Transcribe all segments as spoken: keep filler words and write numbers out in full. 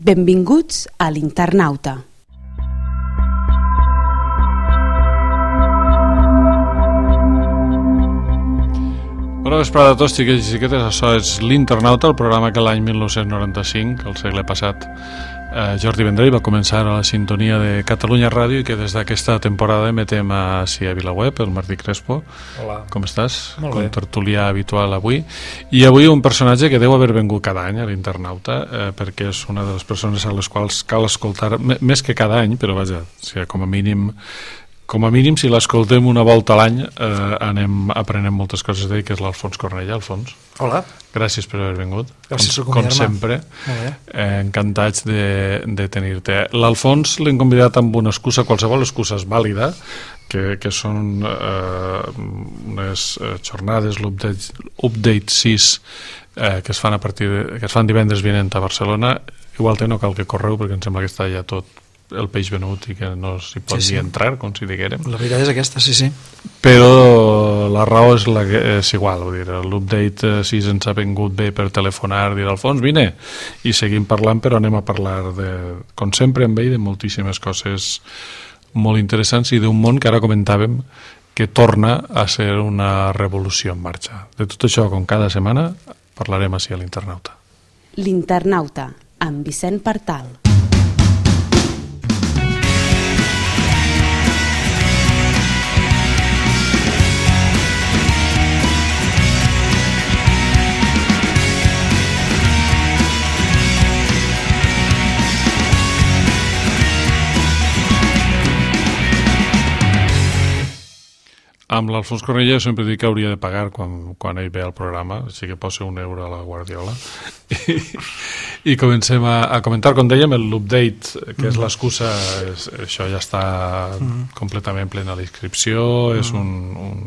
Benvinguts a l'Internauta. Bona vesprada a tots, xiquets i xiquetes. Això és l'Internauta, el programa que l'any mil nou-cents noranta-cinc, el segle passat, eh, Jordi Vendrell va començar a la sintonia de Catalunya Ràdio i que des d'aquesta temporada emetem a, sí, a VilaWeb, el Martí Crespo. Hola. Com estàs? Molt bé. Com tertulià habitual avui. I avui un personatge que deu haver vengut cada any a l'Internauta, eh, perquè és una de les persones a les quals cal escoltar, més que cada any, però vaja, o sigui, com a mínim... Com a mínim, si l'escoltem una volta a l'any, eh, anem aprenent moltes coses d'ell, que és l'Alfons Cornellà. Alfons. Hola. Gràcies per haver vingut. Gràcies com, per com sempre. Eh, encantats de, de tenir-te. L'Alfons l'hem convidat amb una excusa, qualsevol excusa és vàlida, que, que són eh, unes eh, jornades, l'Update update sis, eh, que es fan a partir de, que es fan divendres vinent a Barcelona. Igual té no cal que correu, perquè em sembla que està ja tot el peix venut i que no s'hi pot sí, sí. ni entrar, com si diguérem. La veritat és aquesta, sí, sí. Però la raó és, la que és igual, vull dir, l'Update sis ens ha vingut bé per telefonar, dir, Alfons, vine, i seguim parlant, però anem a parlar, de, com sempre amb ell, de moltíssimes coses molt interessants i d'un món que ara comentàvem que torna a ser una revolució en marxa. De tot això, com cada setmana, parlarem així a l'Internauta. L'Internauta, amb Vicent Partal. Amb l'Alfons Cornellà sempre dic que hauria de pagar quan, quan ell ve al programa, així que posa un euro a la Guardiola. I, i comencem a, a comentar, com dèiem, l'update, que és l'excusa, és, això ja està mm. completament plena d'inscripció, mm. és un... un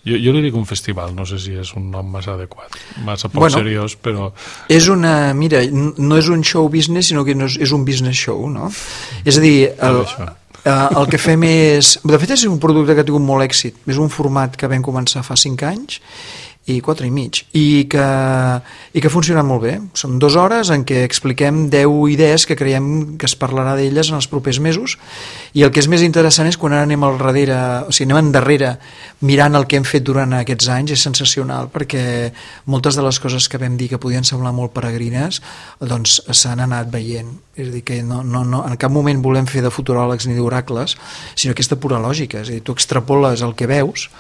jo, jo li dic un festival, no sé si és un nom massa adequat, massa poc bueno, seriós, però... És una... Mira, no és un show business, sinó que no és, és un business show, no? És a dir... El, Uh, el que fem és... De fet, és un producte que ha tingut molt èxit. És un format que vam començar fa cinc anys i quatre i mig, i que, i que ha funcionat molt bé. Són dues hores en què expliquem deu idees que creiem que es parlarà d'elles en els propers mesos, i el que és més interessant és quan ara anem al darrere, o sigui, anem endarrere mirant el que hem fet durant aquests anys, és sensacional, perquè moltes de les coses que vam dir que podien semblar molt peregrines doncs s'han anat veient. És a dir, que no, no, no, en cap moment volem fer de futuròlegs ni d'oracles, sinó aquesta pura lògica. És a dir, tu extrapoles el que veus,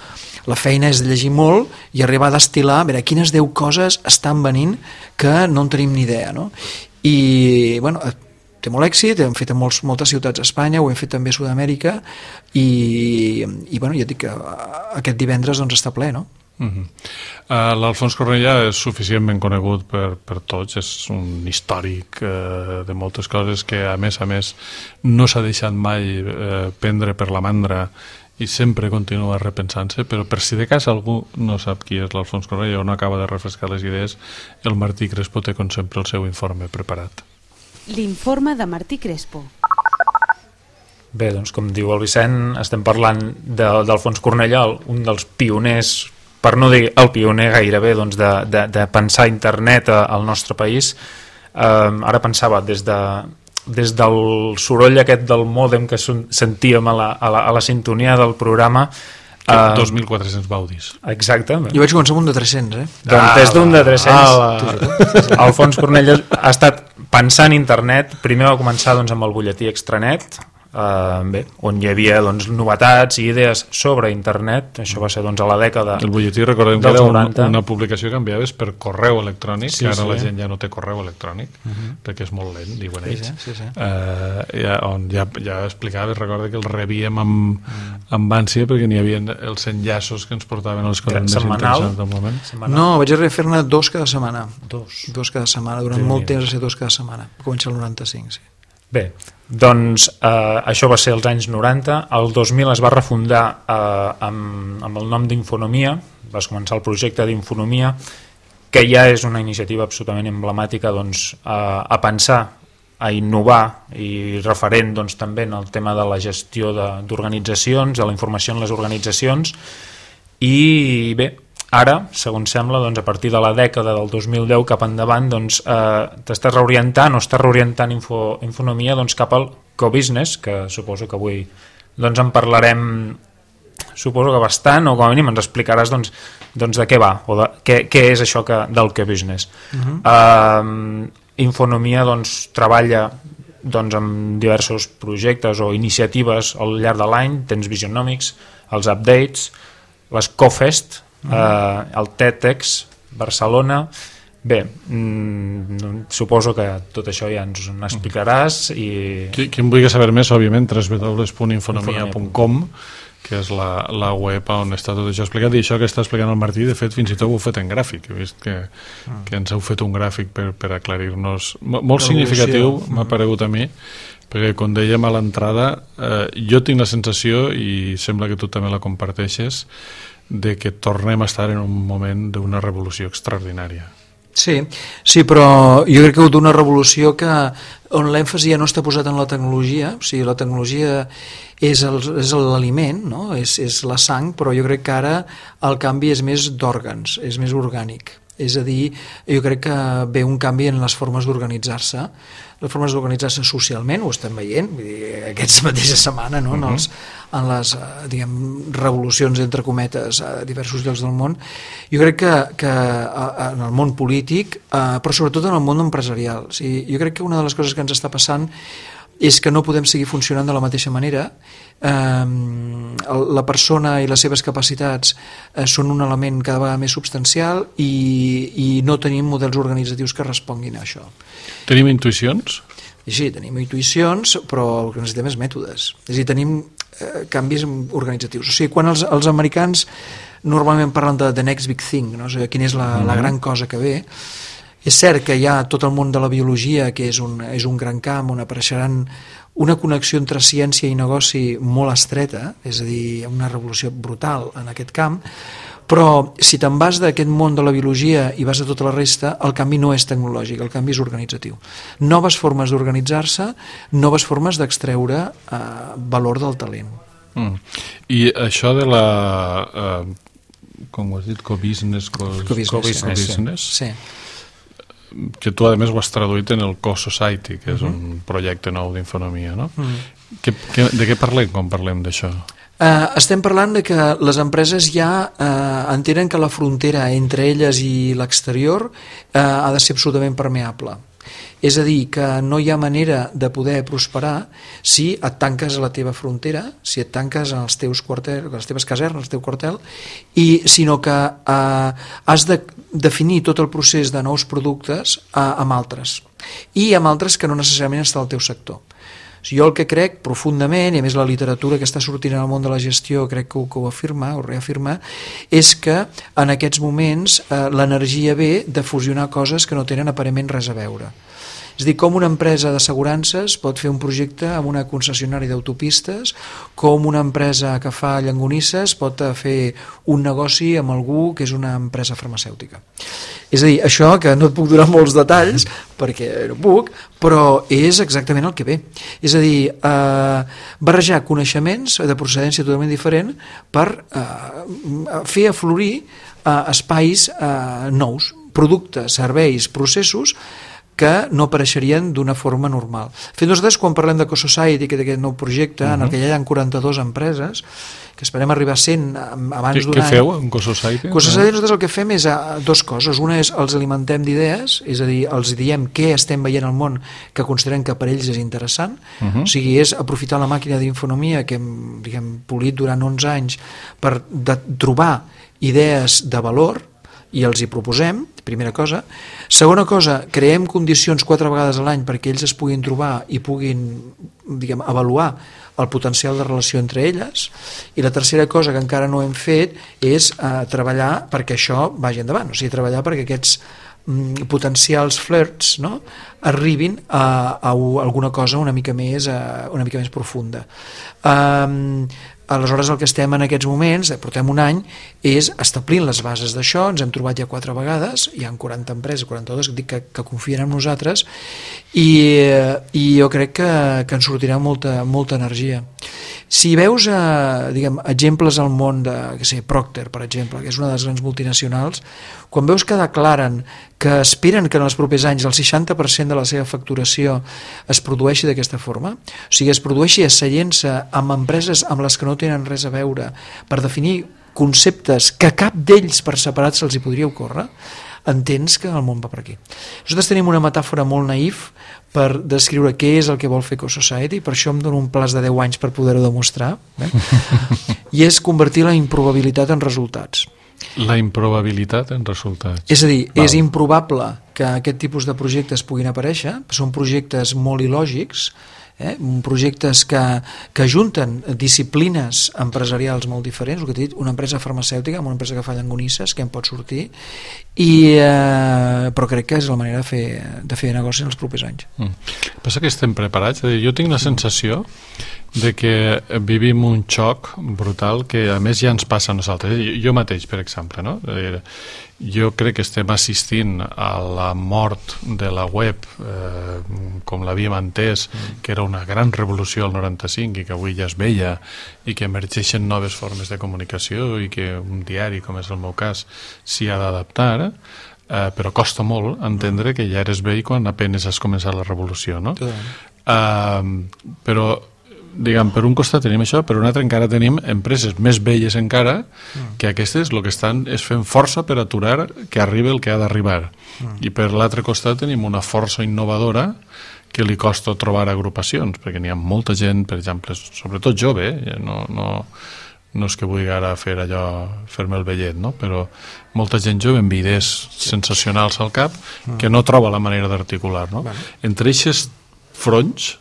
la feina és de llegir molt i arribar a destil·lar, a veure, quines deu coses estan venint que no en tenim ni idea, no? I, bueno, té molt èxit, hem fet a molts, moltes ciutats a Espanya, ho hem fet també a Sud-amèrica, i, i bueno, ja dic que aquest divendres doncs està ple, no? Uh -huh. uh, L'Alfons Cornellà és suficientment conegut per, per tots, és un històric uh, de moltes coses que a més a més no s'ha deixat mai uh, prendre per la mandra i sempre continua repensant-se, però per si de cas algú no sap qui és l'Alfons Cornellà o no acaba de refrescar les idees, el Martí Crespo té com sempre el seu informe preparat. L'informe de Martí Crespo. Bé, doncs com diu el Vicent, estem parlant de, d'Alfons Cornellà, un dels pioners, per no dir el pioner gairebé, doncs de, de, de pensar internet al nostre país. Eh, ara pensava, des de des del soroll aquest del mòdem que sentíem a la, a la, a la sintonia del programa, Uh, dos mil quatre-cents baudis. Exacte. Jo vaig començar amb un de tres-cents, eh? Doncs des d'un de tres-cents. Alfons Cornellà ha estat pensant internet. Primer va començar doncs, amb el butlletí Extranet, Uh, bé, on hi havia doncs, novetats i idees sobre internet. Això va ser doncs, a la dècada el butlletí, recordem que era una, una publicació que enviaves per correu electrònic, sí, que ara sí. La gent ja no té correu electrònic, uh-huh. perquè és molt lent, diuen sí, ells, sí, sí. Uh, ja, on ja, ja explicaves, recorda que el rebíem amb, uh-huh. amb ànsia perquè n'hi havia els enllaços que ens portaven a les coses més interessants del moment. Setmanal. No, vaig arribar a fer-ne dos cada setmana. Dos. Dos cada setmana, durant sí, molt temps a ser dos cada setmana. Va començar el noranta-cinc, sí. Bé, doncs eh, això va ser als anys noranta. El dos mil es va refundar eh, amb, amb el nom d'Infonomia. Va començar el projecte d'Infonomia, que ja és una iniciativa absolutament emblemàtica doncs, a, a pensar, a innovar i referent doncs, també en el tema de la gestió d'organitzacions, de, de la informació en les organitzacions. I bé, ara, segons sembla, doncs, a partir de la dècada del dos mil deu cap endavant, doncs, eh, t'estàs reorientant o estàs reorientant info, Infonomia doncs, cap al co-business, que suposo que avui doncs, en parlarem suposo que bastant, o com a mínim ens explicaràs doncs, doncs de què va, o de, què, què és això que, del co-business. Uh-huh. eh, Infonomia doncs, treballa doncs, amb diversos projectes o iniciatives al llarg de l'any. Tens Visionomics, els updates, les CoFest, uh-huh. eh, el TEDx Barcelona. Bé, mm, suposo que tot això ja ens ho explicaràs. I... Qui, qui en vulgui saber més, òbviament, w w w punt infonomia punt com, que és la, la web on està tot això explicat, i això que està explicant el Martí, de fet, fins i tot ho heu fet en gràfic. He vist que, ah. que ens heu fet un gràfic per, per aclarir-nos. Molt significatiu, m'ha paregut a mi, perquè, com dèiem a l'entrada, eh, jo tinc la sensació, i sembla que tu també la comparteixes, de que tornem a estar en un moment d'una revolució extraordinària. Sí, sí, però jo crec que d'una revolució que on l'èmfasi ja no està posat en la tecnologia, o sigui, la tecnologia és l'aliment, no? és, és la sang, però jo crec que ara el canvi és més d'òrgans, és més orgànic. És a dir, jo crec que ve un canvi en les formes d'organitzar-se, les formes d'organitzar-se socialment, ho estem veient, vull dir, aquesta mateixa setmana, no? en, els, en les diguem, revolucions, entre cometes, a diversos llocs del món. Jo crec que, que en el món polític, però sobretot en el món empresarial. O sigui, jo crec que una de les coses que ens està passant és que no podem seguir funcionant de la mateixa manera. Eh, la persona i les seves capacitats eh, són un element cada vegada més substancial i, i no tenim models organitzatius que responguin a això. Tenim intuïcions? Sí, tenim intuïcions, però el que necessitem és mètodes. És a dir, tenim eh, canvis organitzatius. O sigui, quan els, els americans normalment parlen de the next big thing, no? O sigui, quina és la, la gran cosa que ve, és cert que hi ha tot el món de la biologia, que és un, és un gran camp on apareixeran una connexió entre ciència i negoci molt estreta, és a dir, una revolució brutal en aquest camp, però si te'n vas d'aquest món de la biologia i vas a tota la resta, el canvi no és tecnològic, el canvi és organitzatiu. Noves formes d'organitzar-se, noves formes d'extreure eh, valor del talent. Mm. I això de la... Eh, com ho has dit? Co-business? Co-business, co-business, co-business sí. Que tu a més ho has traduït en el Co-Society, que és uh-huh. un projecte nou d'Infonomia, no? Uh-huh. que, que, de què parlem quan parlem d'això? Uh, estem parlant de que les empreses ja uh, entenen que la frontera entre elles i l'exterior uh, ha de ser absolutament permeable. És a dir, que no hi ha manera de poder prosperar si et tanques a la teva frontera, si et tanques als teus quarters, a les teves casernes, al teu quartel, i, sinó que eh, has de definir tot el procés de nous productes eh, amb altres, i amb altres que no necessàriament està al teu sector. Jo el que crec profundament, i a més la literatura que està sortint en el món de la gestió crec que ho, que ho afirma, ho reafirma, és que en aquests moments eh, l'energia ve de fusionar coses que no tenen aparentment res a veure. És a dir, com una empresa d'assegurances pot fer un projecte amb una concessionària d'autopistes, com una empresa que fa llonganisses pot fer un negoci amb algú que és una empresa farmacèutica. És a dir, això que no et puc donar molts detalls perquè no puc, però és exactament el que ve. És a dir, eh, barrejar coneixements de procedència totalment diferent per eh, fer aflorir eh, espais eh, nous, productes, serveis, processos que no apareixerien d'una forma normal. Fet, nosaltres, quan parlem de Co-Society, que d'aquest nou projecte, uh-huh. en el que ja hi ha quaranta-dues empreses, que esperem arribar a cent abans d'un any... Què feu en Co-Society? Co-Society nosaltres el que fem és a, dos coses. Una és els alimentem d'idees, és a dir, els diem què estem veient al món que considerem que per ells és interessant. Uh-huh. O sigui, és aprofitar la màquina d'Infonomia que hem, diguem, polit durant onze anys per de, trobar idees de valor i els hi proposem, primera cosa. Segona cosa, creem condicions quatre vegades a l'any perquè ells es puguin trobar i puguin, diguem, avaluar el potencial de relació entre elles. I la tercera cosa que encara no hem fet és eh, treballar perquè això vagi endavant, o sigui, treballar perquè aquests mm, potencials flirts, no?, arribin a, a, a alguna cosa una mica més, a, una mica més profunda. Um, Aleshores, el que estem en aquests moments, portem un any, és establint les bases d'això. Ens hem trobat ja quatre vegades, hi ha quaranta empreses, quaranta-dues, que, que, que confien en nosaltres, i, i jo crec que, que ens sortirà molta, molta energia. Si veus eh, diguem, exemples al món de que sé, Procter, per exemple, que és una de les grans multinacionals, quan veus que declaren que esperen que en els propers anys el seixanta per cent de la seva facturació es produeixi d'aquesta forma, o sigui, es produeixi asseient-se amb empreses amb les que no tenen res a veure per definir conceptes que cap d'ells per separat se'ls hi podria ocórrer, entens que el món va per aquí. Nosaltres tenim una metàfora molt naïf per descriure què és el que vol fer Ecosociety, per això em dono un plaç de deu anys per poder-ho demostrar, eh? I és convertir la improbabilitat en resultats. La improbabilitat en resultats. És a dir, Val. és improbable que aquest tipus de projectes puguin aparèixer, són projectes molt il·lògics, eh? projectes que, que ajunten disciplines empresarials molt diferents, el que t'he dit, una empresa farmacèutica amb una empresa que fa llangonisses, que en pot sortir, i, eh, però crec que és la manera de fer, de fer negoci en els propers anys. Mm. Passa que estem preparats? Jo tinc la sensació de que vivim un xoc brutal que a més ja ens passa a nosaltres. Jo mateix, per exemple, no? Jo crec que estem assistint a la mort de la web eh, com l'havíem entès, que era una gran revolució al noranta-cinc i que avui ja es veia i que emergeixen noves formes de comunicació i que un diari, com és el meu cas, s'hi ha d'adaptar, eh, però costa molt entendre que ja eres vell quan apenes has començat la revolució, no? Eh, però diguem, per un costat tenim això, per un altre encara tenim empreses més velles encara que aquestes el que estan és fent força per aturar que arribi el que ha d'arribar. I per l'altre costat tenim una força innovadora que li costa trobar agrupacions, perquè n'hi ha molta gent, per exemple, sobretot jove, eh? no, no, no és que vulgui ara fer allò, fer-me el vellet, no? Però molta gent jove amb idees sensacionals al cap que no troba la manera d'articular, no? Entre eixes fronts,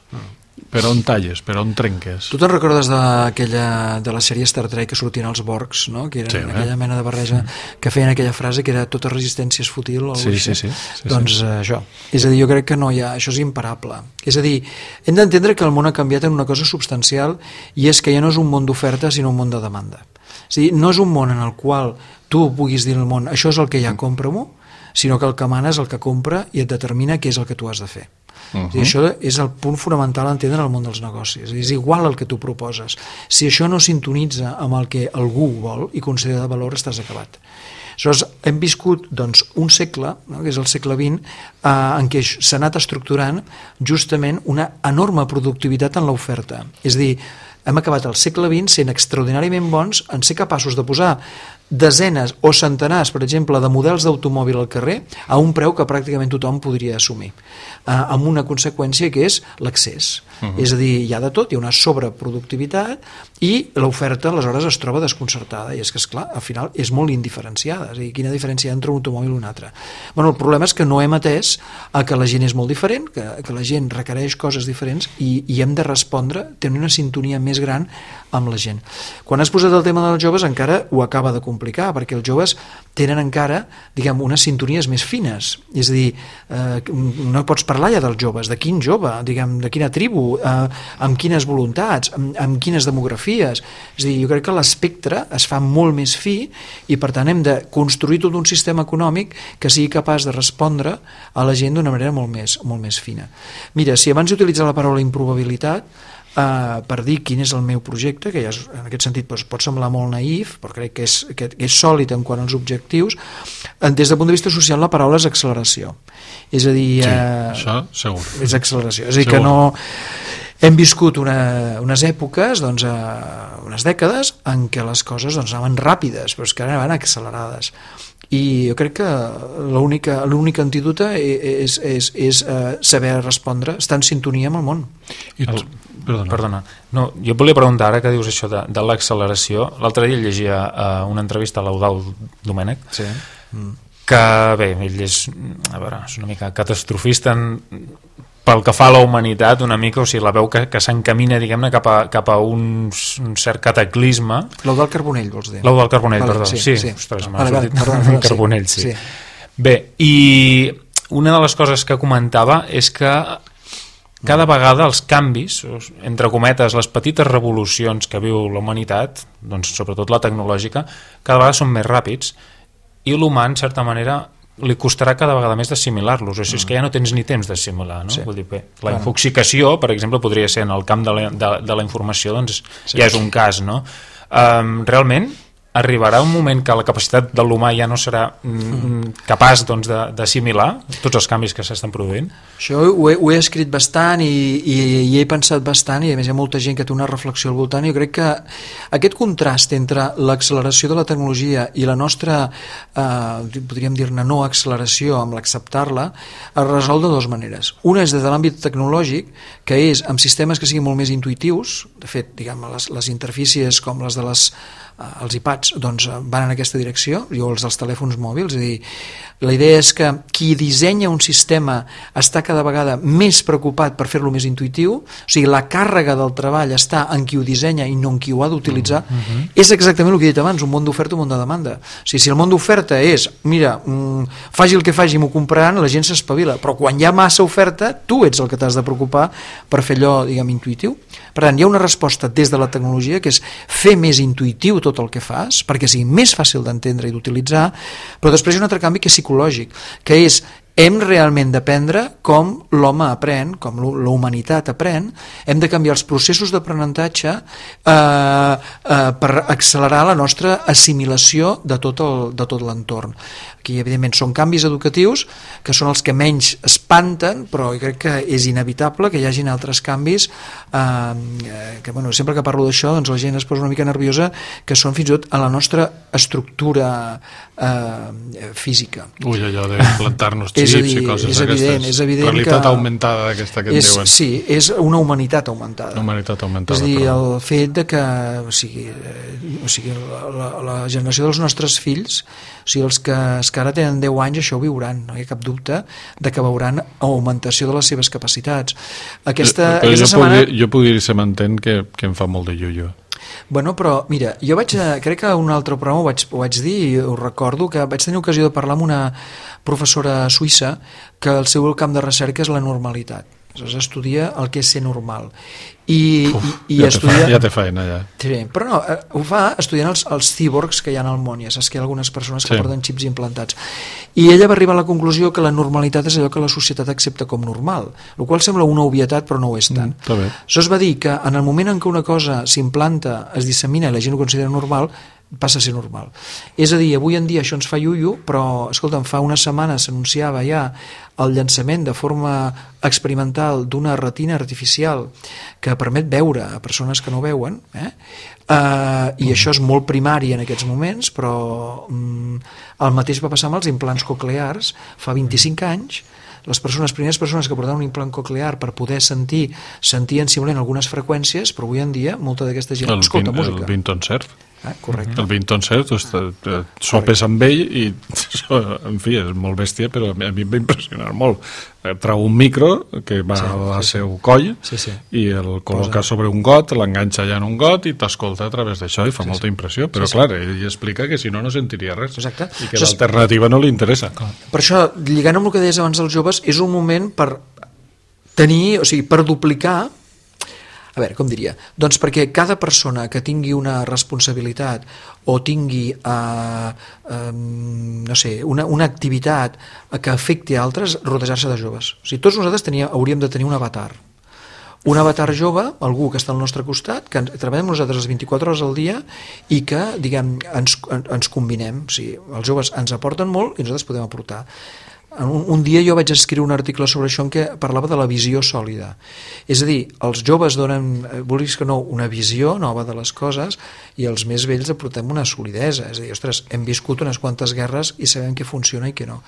per on talles, per on trenques? Tu te'n recordes d'aquella de la sèrie Star Trek que sortien els Borgs, no? Que eren sí, aquella eh? mena de barreja que feien aquella frase que era tota resistència és fútil o sí, sí, sí, sí, sí, doncs sí. Uh, això, és a dir, jo crec que no hi ha, això és imparable, és a dir, hem d'entendre que el món ha canviat en una cosa substancial i és que ja no és un món d'oferta sinó un món de demanda, és a dir, no és un món en el qual tu puguis dir al món això és el que hi ha, compra-m'ho, sinó que el que mana és el que compra i et determina què és el que tu has de fer. Uh -huh. I això és el punt fonamental a entendre el món dels negocis, és igual el que tu proposes, si això no sintonitza amb el que algú vol i considera de valor, estàs acabat. Aleshores, hem viscut doncs, un segle, no? Que és el segle vint, eh, en què s'ha anat estructurant justament una enorme productivitat en l'oferta, és a dir, hem acabat el segle vint sent extraordinàriament bons en ser capaços de posar desenes o centenars, per exemple, de models d'automòbil al carrer a un preu que pràcticament tothom podria assumir, eh, amb una conseqüència que és l'accés. Uh -huh. És a dir, hi ha de tot, hi ha una sobreproductivitat i l'oferta aleshores es troba desconcertada i és que, esclar, al final és molt indiferenciada, és a dir, quina diferència hi ha entre un automòbil i un altre. Bueno, el problema és que no hem atès a que la gent és molt diferent, que, que la gent requereix coses diferents i, i hem de respondre, tenir una sintonia més gran amb la gent. Quan has posat el tema dels joves encara ho acaba de complicar, perquè els joves tenen encara, diguem, unes sintonies més fines, és a dir, eh, no pots parlar ja dels joves, de quin jove, diguem, de quina tribu, eh, amb quines voluntats, amb, amb quines demografies, és a dir, jo crec que l'espectre es fa molt més fi i per tant hem de construir tot un sistema econòmic que sigui capaç de respondre a la gent d'una manera molt més, molt més fina. Mira, si abans d'utilitzar la paraula improbabilitat Uh, per dir quin és el meu projecte, que ja és, en aquest sentit doncs, pot semblar molt naïf, però crec que és, que, que és sòlid en quant als objectius, des del punt de vista social la paraula és acceleració. És a dir... Sí, uh, això segur. És acceleració. És a dir, segur. que no... Hem viscut una, unes èpoques, doncs, uh, unes dècades, en què les coses doncs, anaven ràpides, però és que ara van accelerades. I jo crec que l'única antídota és, és, és uh, saber respondre, estar en sintonia amb el món. I tu? Perdona. Perdona. No, jo et volia preguntar, ara que dius això de, de l'acceleració, l'altre dia llegia uh, una entrevista a l'Eudald Domènech, sí. mm. que bé, ell és, a veure, és una mica catastrofista en, pel que fa a la humanitat una mica, o sigui, la veu que, que s'encamina, diguem-ne, cap a, cap a un, un cert cataclisme. L'Eudald Carbonell, vols dir? L'Eudald Carbonell, vale, perdó. Sí, sí, sí. Ostres, m'ha vale, sortit vale, perdó, perdó, Carbonell, sí. sí. Bé, i una de les coses que comentava és que cada vegada els canvis, entre cometes, les petites revolucions que viu la humanitat, doncs sobretot la tecnològica, cada vegada són més ràpids i l'humà, en certa manera, li costarà cada vegada més d'assimilar-los, o sigui, és que ja no tens ni temps d'assimilar, no? Sí. Vull dir, bé, la infoxicació, per exemple, podria ser en el camp de la, de, de la informació, doncs sí. Ja és un cas, no? Um, realment arribarà un moment que la capacitat de l'humà ja no serà mm, capaç doncs, d'assimilar tots els canvis que s'estan produint? Això ho he, ho he escrit bastant i, i, i he pensat bastant, i a més hi ha molta gent que té una reflexió al voltant, i jo crec que aquest contrast entre l'acceleració de la tecnologia i la nostra, eh, podríem dir-ne no acceleració, amb l'acceptar-la, es resol de dues maneres. Una és des de l'àmbit tecnològic, que és amb sistemes que siguin molt més intuitius. De fet, diguem, les, les interfícies com les de les els iPads doncs, van en aquesta direcció, o els dels telèfons mòbils. És a dir, la idea és que qui dissenya un sistema està cada vegada més preocupat per fer-lo més intuitiu, o sigui, la càrrega del treball està en qui ho dissenya i no en qui ho ha d'utilitzar. Uh-huh. És exactament el que he dit abans, un món d'oferta, un món de demanda. O sigui, si el món d'oferta és, mira, mm, faci el que faci, m'ho compraran, la gent s'espavila, però quan hi ha massa oferta, tu ets el que t'has de preocupar per fer allò, diguem, intuitiu. Per tant, hi ha una resposta des de la tecnologia, que és fer més intuitiu tot el que fas, perquè sigui més fàcil d'entendre i d'utilitzar, però després hi ha un altre canvi que és psicològic, que és hem realment d'aprendre com l'home aprèn, com la humanitat aprèn, hem de canviar els processos d'aprenentatge eh, eh, per accelerar la nostra assimilació de tot el, de tot l'entorn. Aquí, evidentment, són canvis educatius que són els que menys espanten, però jo crec que és inevitable que hi hagin altres canvis eh, que, bueno, sempre que parlo d'això, doncs la gent es posa una mica nerviosa, que són fins i tot a la nostra estructura eh, física. Ui, allò de plantar-nos xips dir, i coses és evident, d'aquestes. És evident realitat que augmentada d'aquesta que en és, diuen. Sí, és una humanitat augmentada. Una humanitat augmentada. És a dir, però... el fet de que o sigui, eh, o sigui, la, la, la generació dels nostres fills, o sigui, els que, els que ara tenen deu anys, això ho viuran, no hi ha cap dubte de que veuran augmentació de les seves capacitats. Aquesta, però aquesta jo, setmana... puc dir, jo puc dir, se m'entén que, que em fa molt de llullo. Bueno, però mira, jo vaig, crec que un altre programa ho vaig, ho vaig dir, i ho recordo, que vaig tenir ocasió de parlar amb una professora suïssa que el seu camp de recerca és la normalitat. Aleshores estudia el que és ser normal. I, Uf, i, i ja, estudia... te fa, ja té feina, ja. Sí, però no, ho fa estudiant els, els cíborgs que hi ha al món. Ja saps que hi ha algunes persones que sí. porten xips implantats. I ella va arribar a la conclusió que la normalitat és allò que la societat accepta com normal, el qual sembla una obvietat, però no ho és tant. Mm, Això es va dir que en el moment en què una cosa s'implanta, es dissemina i la gent ho considera normal, passa a ser normal. És a dir, avui en dia això ens fa iuiu, però, escolta'm, fa una setmana s'anunciava ja el llançament de forma experimental d'una retina artificial que permet veure a persones que no veuen, eh? Uh, i això és molt primari en aquests moments, però um, el mateix va passar amb els implants coclears fa vint-i-cinc anys. Les persones, primeres persones que portaven un implant coclear per poder sentir, sentien simplement algunes freqüències, però avui en dia molta d'aquesta gent el escolta vin, música. El Vinton Cerf. Ah, correcte. El Vinton Cerf, tu sopes amb ell i, en fi, és molt bèstia, però a mi em va impressionar molt. Trau un micro que va sí, al sí, seu coll sí, sí. i el col·loca Posa. sobre un got, l'enganxa allà en un got i t'escolta a través d'això i fa sí, molta impressió, però sí, clar, sí. ell explica que si no, no sentiria res. Exacte. I que l'alternativa no li interessa. Per això, lligant amb el que deies abans dels joves, és un moment per tenir, o sigui, per duplicar. A veure, com diria? Doncs perquè cada persona que tingui una responsabilitat o tingui uh, um, no sé, una, una activitat que afecti a altres, rodejar-se de joves. O sigui, tots nosaltres tenia, hauríem de tenir un avatar. Un avatar jove, algú que està al nostre costat, que treballem nosaltres les vint-i-quatre hores al dia i que, diguem, ens, ens combinem. O sigui, els joves ens aporten molt i nosaltres podem aportar. Un, un dia jo vaig escriure un article sobre això en què parlava de la visió sòlida. És a dir, els joves donen, vulguis que no, una visió nova de les coses i els més vells aportem una solidesa. És a dir, ostres, hem viscut unes quantes guerres i sabem què funciona i què no.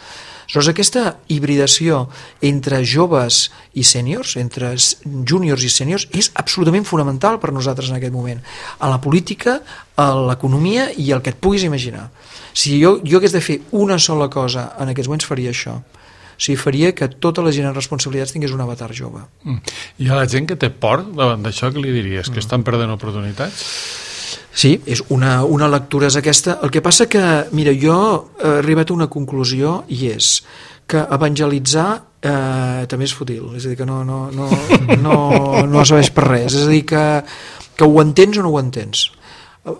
Aleshores, aquesta hibridació entre joves i sèniors, entre júniors i sèniors, és absolutament fonamental per nosaltres en aquest moment. A la política, a l'economia i el que et puguis imaginar. Si jo, jo hagués de fer una sola cosa en aquests moments, faria això. O sigui, faria que tota la gent en responsabilitats tingués un avatar jove. Mm. I a la gent que té por davant d'això, què li diries? Que estan perdent oportunitats? Sí, és una, una lectura és aquesta. El que passa que, mira, jo he arribat a una conclusió i és que evangelitzar eh, també és fútil. És a dir, que no, no, no, no, no serveix per res. És a dir, que, que ho entens o no ho entens.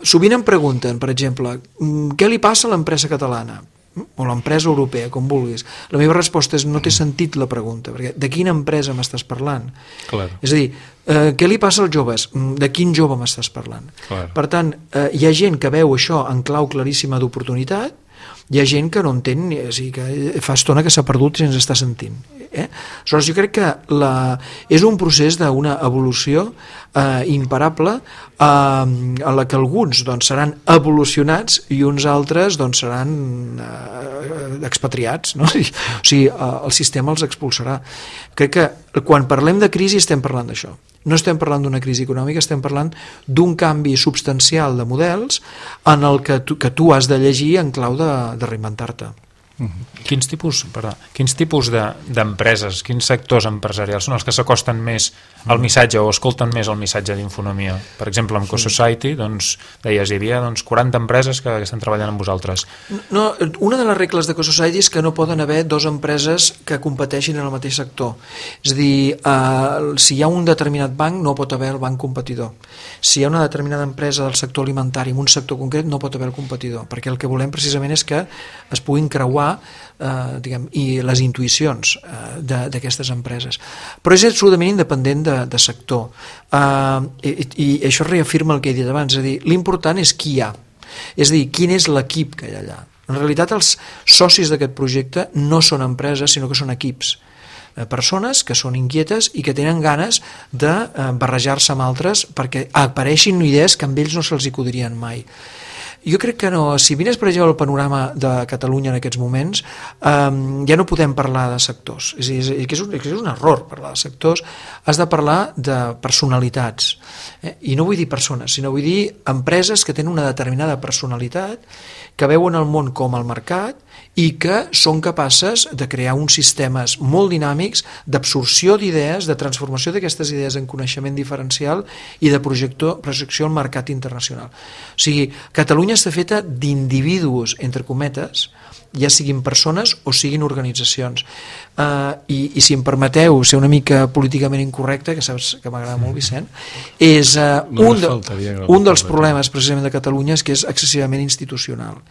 Sovint em pregunten, per exemple, què li passa a l'empresa catalana? o l'empresa europea, com vulguis. La meva resposta és no té sentit la pregunta, perquè de quina empresa m'estàs parlant? Clar. És a dir, eh, què li passa als joves? De quin jove m'estàs parlant? Clar. Per tant, eh, hi ha gent que veu això en clau claríssima d'oportunitat, hi ha gent que no entén, o sigui, que fa estona que s'ha perdut i ens està sentint. Eh? Aleshores, jo crec que la, és un procés d'una evolució eh, imparable eh, a la que alguns doncs, seran evolucionats i uns altres doncs, seran eh, expatriats, no? O sigui, eh, el sistema els expulsarà. Crec que quan parlem de crisi estem parlant d'això. No estem parlant d'una crisi econòmica, estem parlant d'un canvi substancial de models en el que tu, que tu has de llegir en clau de, de reinventar-te. Mm-hmm. Quins tipus, perdó, quins tipus de, d'empreses, quins sectors empresarials són els que s'acosten més al missatge o escolten més el missatge d'Infonomia? Per exemple, amb CoSociety, doncs, deies, hi havia doncs, quaranta empreses que, que estan treballant amb vosaltres. No, una de les regles de CoSociety és que no poden haver dues empreses que competeixin en el mateix sector. És a dir, eh, si hi ha un determinat banc, no pot haver el banc competidor. Si hi ha una determinada empresa del sector alimentari en un sector concret, no pot haver el competidor, perquè el que volem precisament és que es puguin creuar Eh, diguem, i les intuïcions eh, d'aquestes empreses, però és absolutament independent de, de sector, eh, i, i això reafirma el que he dit abans, és a dir, l'important és qui hi ha, és a dir, quin és l'equip que hi ha allà. En realitat els socis d'aquest projecte no són empreses sinó que són equips, eh, persones que són inquietes i que tenen ganes de eh, barrejar-se amb altres perquè apareixin idees que amb ells no se'ls acudirien mai. Jo crec que no, si mires per exemple el panorama de Catalunya en aquests moments, eh, ja no podem parlar de sectors, és, és, és, un, és un error parlar de sectors, has de parlar de personalitats, eh? I no vull dir persones, sinó vull dir empreses que tenen una determinada personalitat, que veuen el món com el mercat i que són capaces de crear uns sistemes molt dinàmics d'absorció d'idees, de transformació d'aquestes idees en coneixement diferencial i de projecció, projecció al mercat internacional. O sigui, Catalunya està feta d'individus, entre cometes, ja siguin persones o siguin organitzacions. Uh, i, i si em permeteu ser una mica políticament incorrecte, que saps que m'agrada molt, Vicent, és uh, no un, de, un dels problemes precisament de Catalunya és que és excessivament institucional.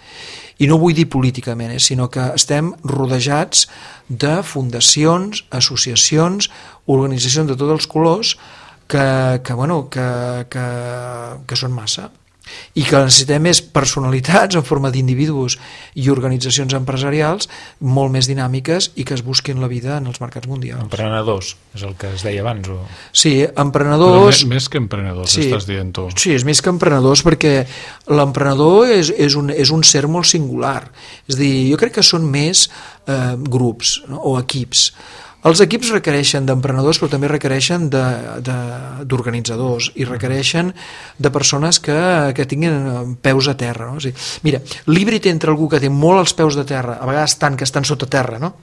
I no vull dir políticament, eh, sinó que estem rodejats de fundacions, associacions, organitzacions de tots els colors que, que, bueno, que, que, que són massa. I que necessitem més personalitats en forma d'individus i organitzacions empresarials molt més dinàmiques i que es busquin la vida en els mercats mundials. Emprenedors, és el que es deia abans. O... Sí, emprenedors... Però més que emprenedors, sí, estàs dient tu. Sí, és més que emprenedors perquè l'emprenedor és, és, un, és un ser molt singular. És a dir, jo crec que són més eh, grups, no? O equips. Els equips requereixen d'emprenedors però també requereixen d'organitzadors i requereixen de persones que, que tinguin peus a terra, no? O sigui, mira, l'híbrid entre algú que té molt els peus de terra, a vegades tant que estan sota terra, no?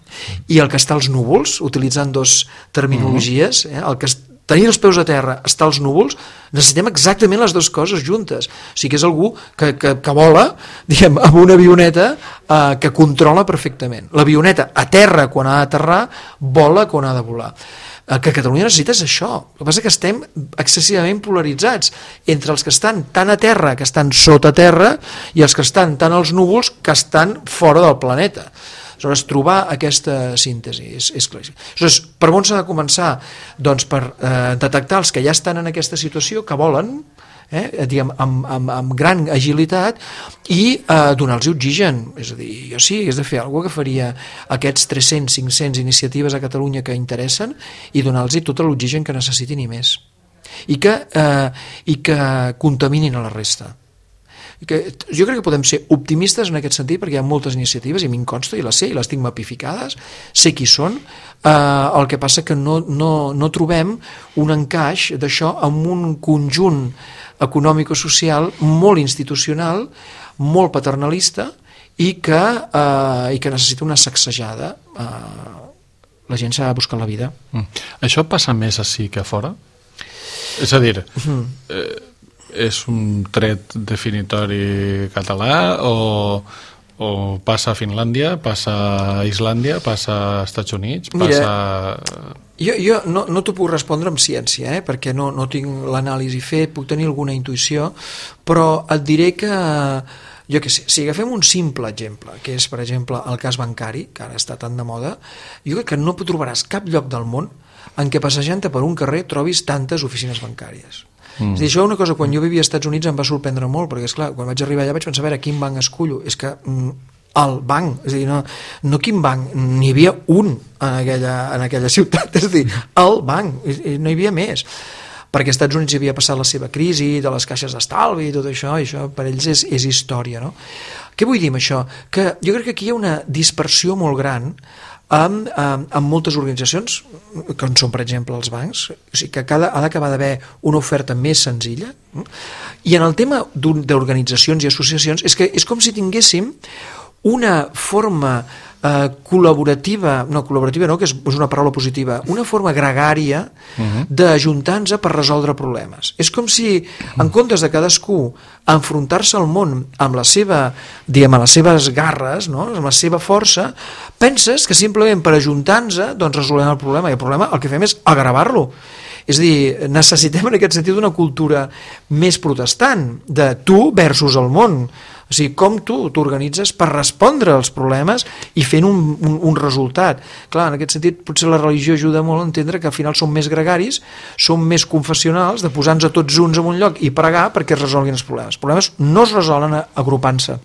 I el que està als núvols, utilitzant dos terminologies, eh? El que tenir els peus a terra, estar als núvols, necessitem exactament les dues coses juntes. O sigui que és algú que, que, que vola, diguem, amb una avioneta eh, que controla perfectament. L'avioneta a terra quan ha d'aterrar, vola quan ha de volar. El que Catalunya necessita és això. El que passa és que estem excessivament polaritzats entre els que estan tan a terra, que estan sota terra, i els que estan tan als núvols, que estan fora del planeta. Aleshores, trobar aquesta síntesi és, és claríssim. Aleshores, per on s'ha de començar? Doncs per eh, detectar els que ja estan en aquesta situació, que volen, eh, diguem, amb, amb, amb gran agilitat, i eh, donar-los oxigen. És a dir, jo sí, hagués de fer alguna cosa que faria aquests tres-cents, cinc-cents iniciatives a Catalunya que interessen i donar-los tot l'oxigen que necessitin i més. I que, eh, i que contaminin a la resta. Que jo crec que podem ser optimistes en aquest sentit perquè hi ha moltes iniciatives i a mi em consta i les sé i les tinc mapificades, sé qui són, eh, el que passa que no, no, no trobem un encaix d'això amb un conjunt econòmico-social molt institucional, molt paternalista i que, eh, i que necessita una sacsejada. Eh, la gent s'ha de buscar la vida. Mm. Això passa més ací que a fora? És a dir... Mm. Eh, és un tret definitori català o, o passa a Finlàndia, passa a Islàndia, passa a Estats Units, passa... Mira, jo, jo no, no t'ho puc respondre amb ciència, eh, perquè no, no tinc l'anàlisi fet, puc tenir alguna intuïció, però et diré que jo què sé, si agafem un simple exemple, que és, per exemple, el cas bancari, que ara està tan de moda, jo crec que no trobaràs cap lloc del món en què passejant-te per un carrer trobis tantes oficines bancàries. Mm. És a dir, això és una cosa, quan jo vivia als Estats Units em va sorprendre molt, perquè esclar, quan vaig arribar allà vaig pensar, a veure, quin banc escullo? És que mm, el banc, és a dir, no, no quin banc, n'hi havia un en aquella, en aquella ciutat, és a dir, el banc, no hi havia més, perquè als Estats Units hi havia passat la seva crisi de les caixes d'estalvi i tot això, i això per ells és, és història, no? Què vull dir amb això? Que jo crec que aquí hi ha una dispersió molt gran amb, amb, amb moltes organitzacions, com són, per exemple, els bancs, o sigui que cada, ha d'acabar d'haver una oferta més senzilla, i en el tema d'organitzacions i associacions és que és com si tinguéssim una forma eh, col·laborativa, no, col·laborativa no, que és una paraula positiva, una forma gregària uh-huh. d'ajuntar-nos per resoldre problemes. És com si, en comptes de cadascú enfrontar-se al món amb la seva, diguem, les seves garres, no, amb la seva força, penses que simplement per ajuntar-nos doncs resolem el problema, i el problema el que fem és agravar-lo. És a dir, necessitem en aquest sentit una cultura més protestant, de tu versus el món. O sigui, com tu t'organitzes per respondre als problemes i fent un, un, un resultat. Clar, en aquest sentit, potser la religió ajuda molt a entendre que al final som més gregaris, som més confessionals, de posar-nos a tots junts en un lloc i pregar perquè es resolguin els problemes. Els problemes no es resolen agrupant-se.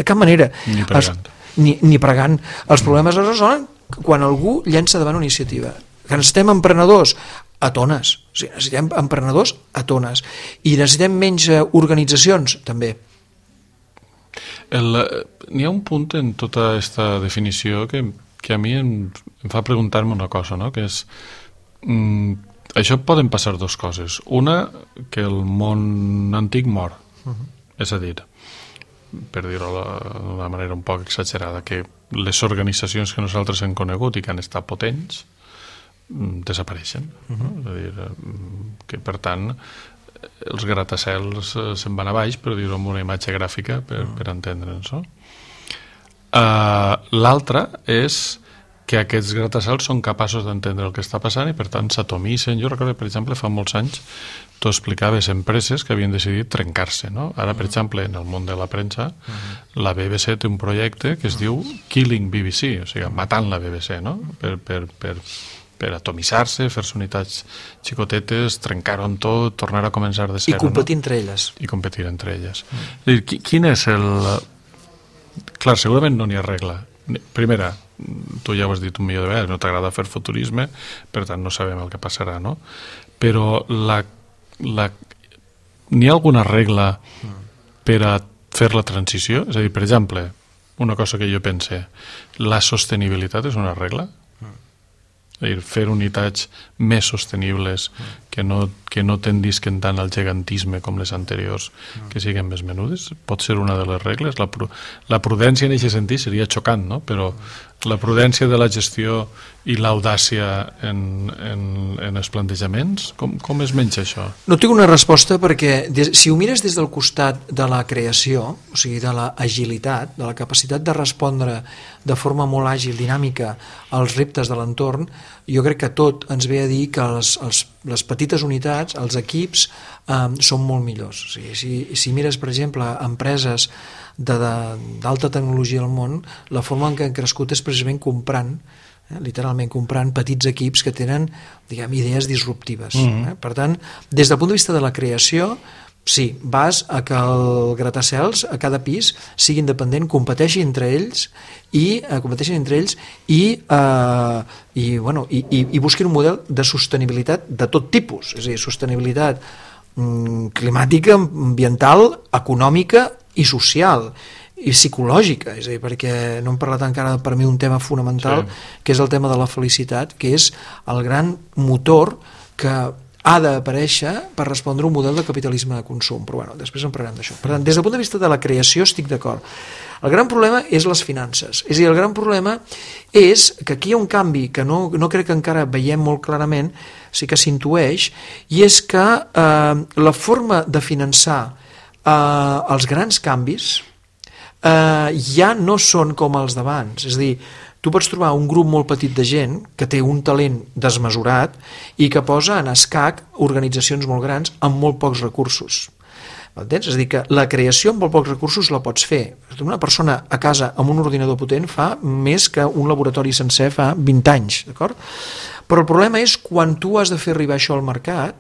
De cap manera. Ni pregant. Es, ni, ni pregant. Els problemes es resolen quan algú llença davant una iniciativa. Que necessitem emprenedors a tones. O sigui, necessitem emprenedors a tones. I necessitem menys organitzacions, també. N'hi ha un punt en tota aquesta definició que, que a mi em, em fa preguntar-me una cosa, no? Que és mm, això poden passar dues coses. Una, que el món antic mor, uh-huh. és a dir, per dir-ho d'una manera un poc exagerada, que les organitzacions que nosaltres hem conegut i que han estat potents mm, desapareixen, uh-huh. no? És a dir, que per tant els gratacels se'n van a baix, per dir-ho amb una imatge gràfica per, per entendre'ns, no? Uh, l'altra és que aquests gratacels són capaços d'entendre el que està passant i per tant s'atomissen. Jo recordo, per exemple, fa molts anys tu explicaves empreses que havien decidit trencar-se, no? Ara, per exemple, en el món de la premsa, la B B C té un projecte que es diu Killing B B C, o sigui, matant la B B C, no? Per, per, per per atomissar-se, fer-se unitats xicotetes, trencar-ho en tot, tornar a començar de zero. I competir no? entre elles. I competir entre elles. Mm. És dir, quin és el... Clar, segurament no n'hi ha regla. Primera, tu ja ho has dit un milió de vegades, no t'agrada fer futurisme, per tant no sabem el que passarà, no? Però la... la... n'hi ha alguna regla per a fer la transició? És a dir, per exemple, una cosa que jo pense, la sostenibilitat és una regla? És a dir, fer unitats més sostenibles que no, que no tendisquen tant al gegantisme com les anteriors, que siguin més menudes, pot ser una de les regles. La, la prudència en aquest sentit seria xocant, no? Però la prudència de la gestió i l'audàcia en, en, en els plantejaments, com, com es menja això? No tinc una resposta perquè des, si ho mires des del costat de la creació, o sigui, de l'agilitat, de la capacitat de respondre de forma molt àgil, dinàmica, als reptes de l'entorn, jo crec que tot ens ve a dir que els, els, les petites unitats, els equips, eh, són molt millors. O sigui, si, si mires, per exemple, empreses d'alta tecnologia al món, la forma en què han crescut és precisament comprant, eh, literalment comprant petits equips que tenen, diguem, idees disruptives. Mm-hmm. eh? Per tant, des del punt de vista de la creació, sí, vas a que el gratacels a cada pis sigui independent, competeixi entre ells i eh, competeixin entre ells i, eh, i, bueno, i, i, i busquin un model de sostenibilitat de tot tipus, és a dir, sostenibilitat mm, climàtica, ambiental, econòmica i social i psicològica, és a dir, perquè no hem parlat encara per mi un tema fonamental, sí. que és el tema de la felicitat, que és el gran motor que ha d'aparèixer per respondre un model de capitalisme de consum, però bueno, després en parlarem d'això. Per tant, des del punt de vista de la creació estic d'acord. El gran problema és les finances, és a dir, el gran problema és que aquí hi ha un canvi que no, no crec que encara veiem molt clarament, sí que s'intueix, i és que eh, la forma de finançar eh, els grans canvis eh, ja no són com els d'abans, és a dir, tu pots trobar un grup molt petit de gent que té un talent desmesurat i que posa en escac organitzacions molt grans amb molt pocs recursos. Entens? És a dir, que la creació amb molt pocs recursos la pots fer. Una persona a casa amb un ordinador potent fa més que un laboratori sencer fa vint anys, d'acord? Però el problema és quan tu has de fer arribar això al mercat,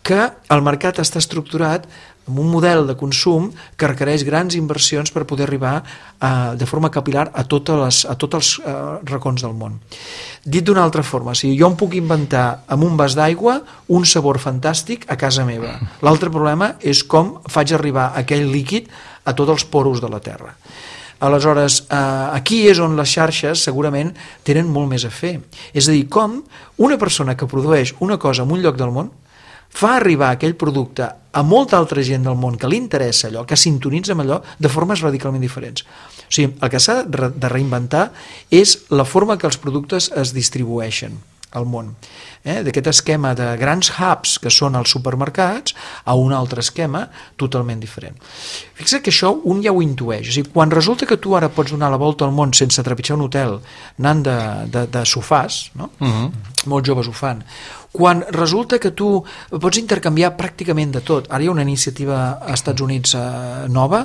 que el mercat està estructurat amb un model de consum que requereix grans inversions per poder arribar eh, de forma capilar a, totes les, a tots els eh, racons del món. Dit d'una altra forma, o sigui, jo em puc inventar amb un vas d'aigua un sabor fantàstic a casa meva. L'altre problema és com faig arribar aquell líquid a tots els poros de la Terra. Aleshores, eh, aquí és on les xarxes segurament tenen molt més a fer. És a dir, com una persona que produeix una cosa en un lloc del món fa arribar aquell producte a molta altra gent del món que li interessa allò, que sintonitza amb allò de formes radicalment diferents. O sigui, el que s'ha de reinventar és la forma que els productes es distribueixen al món. Eh? D'aquest esquema de grans hubs que són els supermercats a un altre esquema totalment diferent. Fixa't que això un ja ho intueix. O sigui, quan resulta que tu ara pots donar la volta al món sense trepitjar un hotel anant de, de, de sofàs, no? Uh-huh. Molts joves ho fan, quan resulta que tu pots intercanviar pràcticament de tot. Ara hi ha una iniciativa als Estats Units eh, nova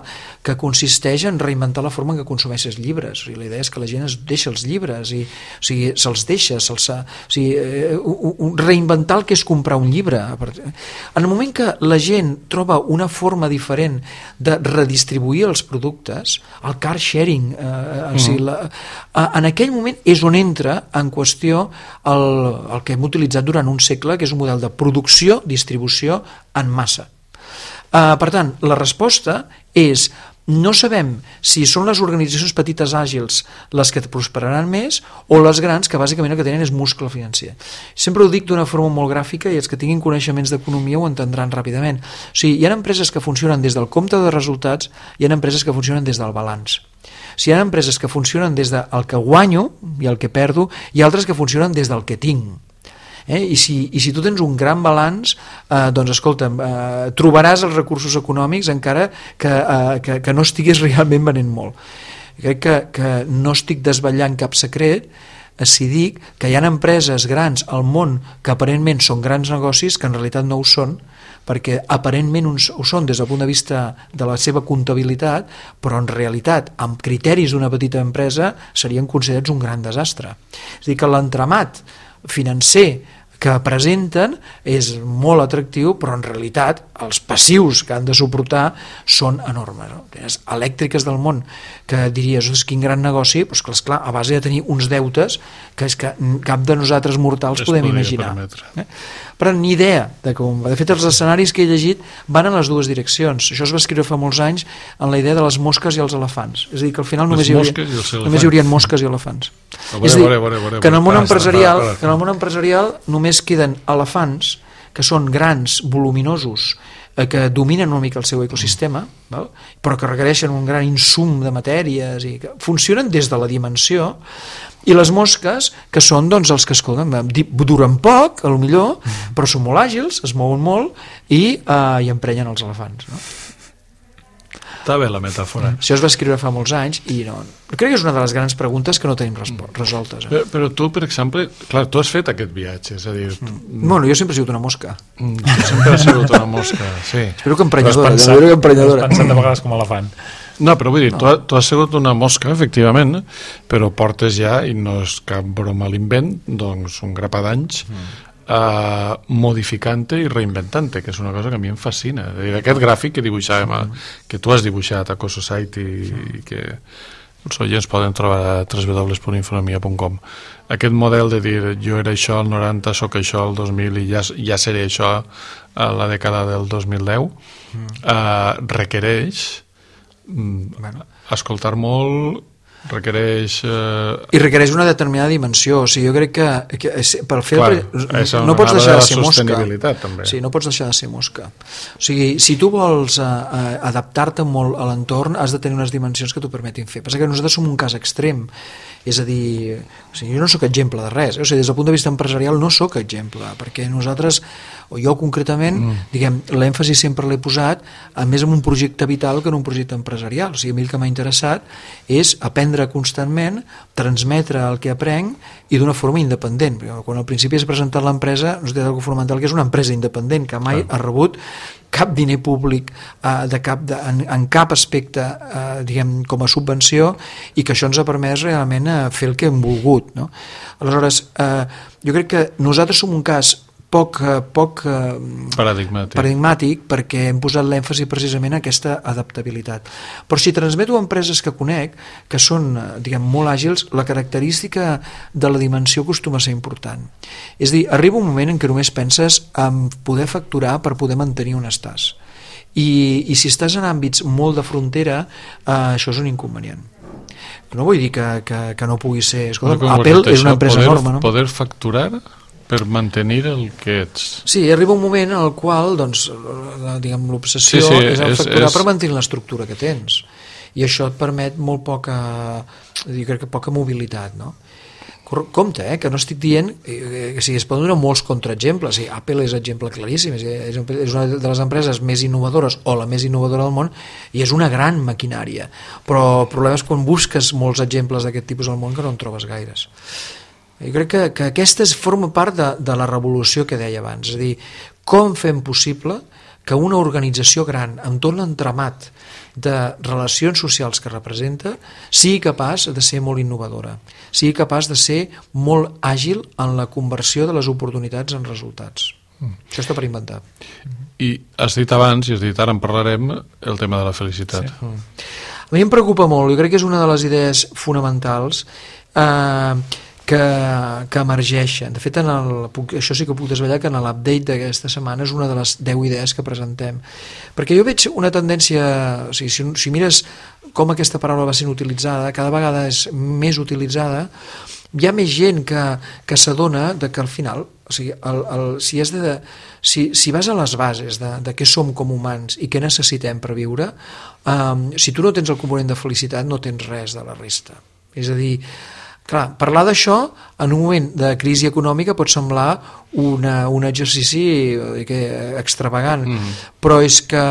que consisteix en reinventar la forma en què consumeixes llibres. O sigui, la idea és que la gent es deixa els llibres i, o sigui, se'ls deixa, se'ls, o sigui, eh, reinventar el que és comprar un llibre. En el moment que la gent troba una forma diferent de redistribuir els productes, el car sharing, eh, mm. o sigui, la, en aquell moment és on entra en qüestió el, el que hem utilitzat durant un segle, que és un model de producció, distribució en massa. Uh, per tant, la resposta és: no sabem si són les organitzacions petites àgils les que prosperaran més o les grans que bàsicament el que tenen és muscle financer. Sempre ho dic d'una forma molt gràfica i els que tinguin coneixements d'economia ho entendran ràpidament. O sigui, hi ha empreses que funcionen des del compte de resultats, hi ha empreses que funcionen des del balanç. Si hi ha empreses que funcionen des del que guanyo i el que perdo, hi ha altres que funcionen des del que tinc. Eh? I, si, i si tu tens un gran balanç, eh, doncs escolta'm, eh, trobaràs els recursos econòmics encara que, eh, que, que no estiguis realment venent molt. Crec que, que no estic desvetllant cap secret eh, si dic que hi ha empreses grans al món que aparentment són grans negocis que en realitat no ho són, perquè aparentment ho són des del punt de vista de la seva comptabilitat, però en realitat amb criteris d'una petita empresa serien considerats un gran desastre. És a dir, que l'entramat financer que presenten és molt atractiu, però en realitat els passius que han de suportar són enormes. No? Tens elèctriques del món que diries, quin gran negoci, però és clar, a base de tenir uns deutes que és que cap de nosaltres mortals es podem imaginar. Eh? Però ni idea de com. De fet, els escenaris que he llegit van en les dues direccions. Això es va escriure fa molts anys en la idea de les mosques i els elefants. És a dir, que al final només hi, hauria, només hi haurien mosques i elefants. Veure, és a dir, veure, veure, veure, que en el món veure, empresarial, veure, veure. que en el món empresarial només queden elefants que són grans, voluminosos, eh, que dominen una mica el seu ecosistema, mm. val? Però que requereixen un gran insum de matèries i que funcionen des de la dimensió, i les mosques, que són doncs, els que escolten, duren poc, a lo millor, mm. però són molt àgils, es mouen molt i, eh, i emprenyen els elefants, no? Està bé la metàfora. Això es va escriure fa molts anys i no, crec que és una de les grans preguntes que no tenim resoltes. Eh? Però, però tu, per exemple, clar, tu has fet aquest viatge, és a dir... Mm. Bueno, jo sempre he sigut una mosca. Mm, tu sempre has sigut una mosca, sí. Espero que emprenyadora. Has pensat, que emprenyadora. Has pensat de vegades com a elefant. No, però vull dir, no. tu, tu has sigut una mosca, efectivament, però portes ja, i no és cap broma a l'invent, doncs un grapa d'anys, mm. Uh, modificant-te i reinventant-te, que és una cosa que a mi em fascina. Dir, aquest gràfic que dibuixàvem, mm. que tu has dibuixat a CoSociety mm. i que els oients poden trobar a w w w punt infonomia punt com, aquest model de dir jo era això al noranta, sóc això al dos mil i ja, ja seré això a la dècada del dos mil deu, mm. uh, requereix mm, bueno. escoltar molt, requereix... Eh... I requereix una determinada dimensió. O sigui, jo crec que, que per fer Clar, el... no pots deixar de ser mosca. També. Sí, no pots deixar de ser mosca. O sigui, si tu vols uh, uh, adaptar-te molt a l'entorn, has de tenir unes dimensions que t'ho permetin fer. Passa que nosaltres som un cas extrem. És a dir, o sigui, jo no sóc exemple de res. O sigui, des del punt de vista empresarial no sóc exemple, perquè nosaltres, o jo concretament, mm. diguem, l'èmfasi sempre l'he posat, a més en un projecte vital que en un projecte empresarial. O sigui, a mi el que m'ha interessat és aprendre aprendre constantment, transmetre el que aprenc i d'una forma independent. Quan al principi has presentat l'empresa, no té d'algú fonamental que és una empresa independent, que mai ha rebut cap diner públic eh, de cap de, en, en cap aspecte eh, diguem, com a subvenció, i que això ens ha permès realment eh, fer el que hem volgut, no? Aleshores, eh, jo crec que nosaltres som un cas poc, poc paradigmàtic. paradigmàtic perquè hem posat l'èmfasi precisament en aquesta adaptabilitat. Però si transmeto empreses que conec, que són, diguem, molt àgils, la característica de la dimensió acostuma a ser important. És a dir, arriba un moment en què només penses en poder facturar per poder mantenir on estàs. I, i si estàs en àmbits molt de frontera, eh, això és un inconvenient. No vull dir que, que, que no pugui ser... Escolta, Apple és una empresa poder, enorme, no? Poder facturar per mantenir el que ets. Sí, arriba un moment en el qual doncs, la, diguem, l'obsessió sí, sí, és el facturar és... per mantenir l'estructura que tens, i això et permet molt poca, jo crec que poca mobilitat, no? Compte, eh, que no estic dient eh, que si es poden donar molts contraexemples. Sí, Apple és exemple claríssim, és, és una de les empreses més innovadores o la més innovadora del món, i és una gran maquinària, però el problema és quan busques molts exemples d'aquest tipus al món que no en trobes gaires. Jo crec que, que aquesta forma part de, de la revolució que deia abans, és a dir, com fem possible que una organització gran amb tot l'entramat de relacions socials que representa sigui capaç de ser molt innovadora, sigui capaç de ser molt àgil en la conversió de les oportunitats en resultats. Mm. Això està per inventar. I has dit abans, i has dit ara en parlarem, el tema de la felicitat. Sí. Mm. A mi em preocupa molt, jo crec que és una de les idees fonamentals eh, que, que emergeixen. De fet, en el, puc, això sí que puc desvetllar que en l'update d'aquesta setmana és una de les deu idees que presentem. Perquè jo veig una tendència, o sigui, si, si mires com aquesta paraula va sent utilitzada, cada vegada és més utilitzada, hi ha més gent que, que s'adona de que al final, o sigui, el, el, si, has de, si, si vas a les bases de, de què som com humans i què necessitem per viure, um, si tu no tens el component de felicitat no tens res de la resta. És a dir, clar, parlar d'això en un moment de crisi econòmica pot semblar una, un exercici que, extravagant, mm. però, és que,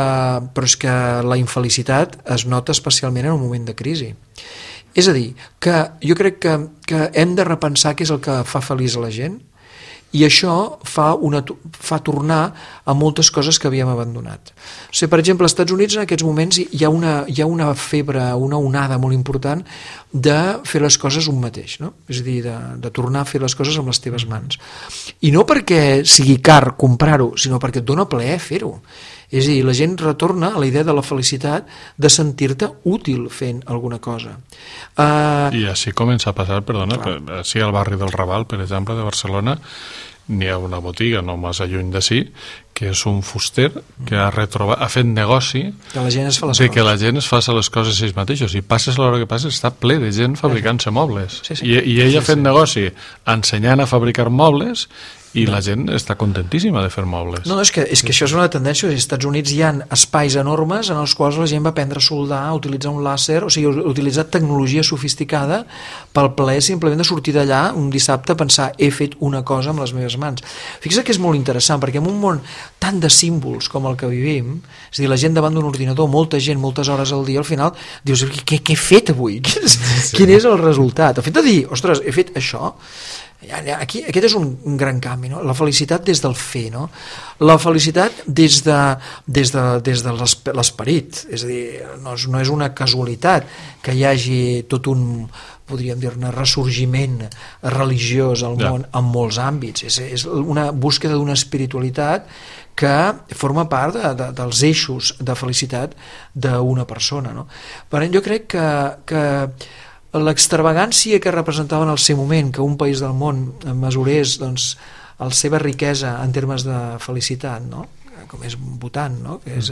però és que la infelicitat es nota especialment en un moment de crisi. És a dir, que jo crec que, que hem de repensar què és el que fa feliç a la gent, i això fa, una, fa tornar a moltes coses que havíem abandonat. O sigui, per exemple, als Estats Units en aquests moments hi ha una, hi ha una febre, una onada molt important de fer les coses un mateix, no? És a dir, de, de tornar a fer les coses amb les teves mans. I no perquè sigui car comprar-ho, sinó perquè et dona plaer fer-ho. És a dir, la gent retorna a la idea de la felicitat de sentir-te útil fent alguna cosa. Uh, I així comença a passar, perdona, per, així al barri del Raval, per exemple, de Barcelona, n'hi ha una botiga no massa lluny d'ací, que és un fuster que ha retrobat, ha fet negoci que la gent es fa les de coses. que la gent es faci les coses ells mateixos, i passes a l'hora que passes està ple de gent fabricant-se mobles, sí, sí. I, i ell sí, ha fet sí. negoci ensenyant a fabricar mobles, i no. La gent està contentíssima de fer mobles. No, és que, és que això és una tendència. Als Estats Units hi ha espais enormes en els quals la gent va aprendre a soldar, a utilitzar un làser, o sigui, utilitzar tecnologia sofisticada pel plaer simplement de sortir d'allà un dissabte a pensar, he fet una cosa amb les meves mans. Fixa't que és molt interessant, perquè en un món tan de símbols com el que vivim, és a dir, la gent davant d'un ordinador, molta gent, moltes hores al dia, al final dius, què, què he fet avui? Quin és, sí. Quin és el resultat? El fet de dir, ostres, he fet això, aquí, aquest és un, un gran canvi, no? La felicitat des del fer, no? La felicitat des de, des de, des de l'esperit, és a dir, no és, no és una casualitat que hi hagi tot un, podríem dir-ne, ressorgiment religiós al món ja. En molts àmbits, és, és una búsqueda d'una espiritualitat que forma part de, de, dels eixos de felicitat d'una persona, no? Per tant, jo crec que, que l'extravagància que representava en el seu moment que un país del món mesurés doncs, la seva riquesa en termes de felicitat, no? Com és Bhutan, no? que, és,